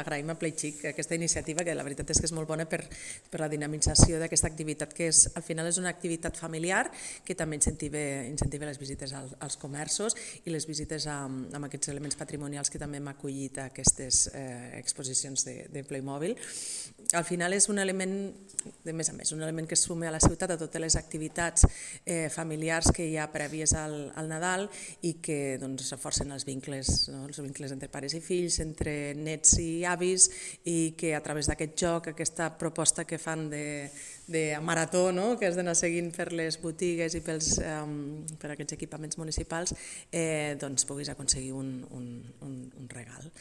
agraïm a Playchic aquesta iniciativa, que la veritat és que és molt bona per la dinamització d'aquesta activitat, que al final és una activitat familiar que també incentiva les visites als comerços i les visites amb aquests elements patrimonials que també hem acollit a aquestes exposicions de Playmobil. Al final és un element, de més a més, un element que es suma a la ciutat a totes les activitats familiars que hi ha prèvies al Nadal i que reforcen els vincles entre pares i fills, entre nets i avis, i que a través d'aquest joc, aquesta proposta que fan de marató, que has d'anar seguint per les botigues i per aquests equipaments municipals, puguis aconseguir un regal.